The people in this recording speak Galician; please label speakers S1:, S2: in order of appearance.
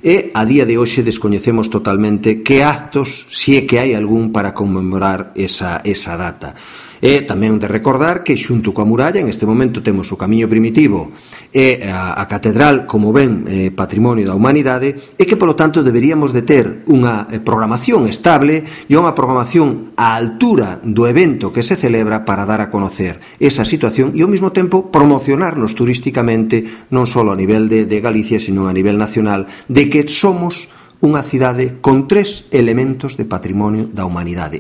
S1: E a día de hoxe descoñecemos totalmente que actos, se é que hai algún, para conmemorar esa data. E tamén de recordar que xunto coa muralla en este momento temos o Camiño Primitivo e a Catedral como ben patrimonio da humanidade, e que polo tanto deberíamos de ter unha programación estable e unha programación á altura do evento que se celebra para dar a conocer esa situación e ao mesmo tempo promocionarnos turísticamente non só a nivel de Galicia, sino a nivel nacional, de que somos unha cidade con 3 elementos de patrimonio da humanidade.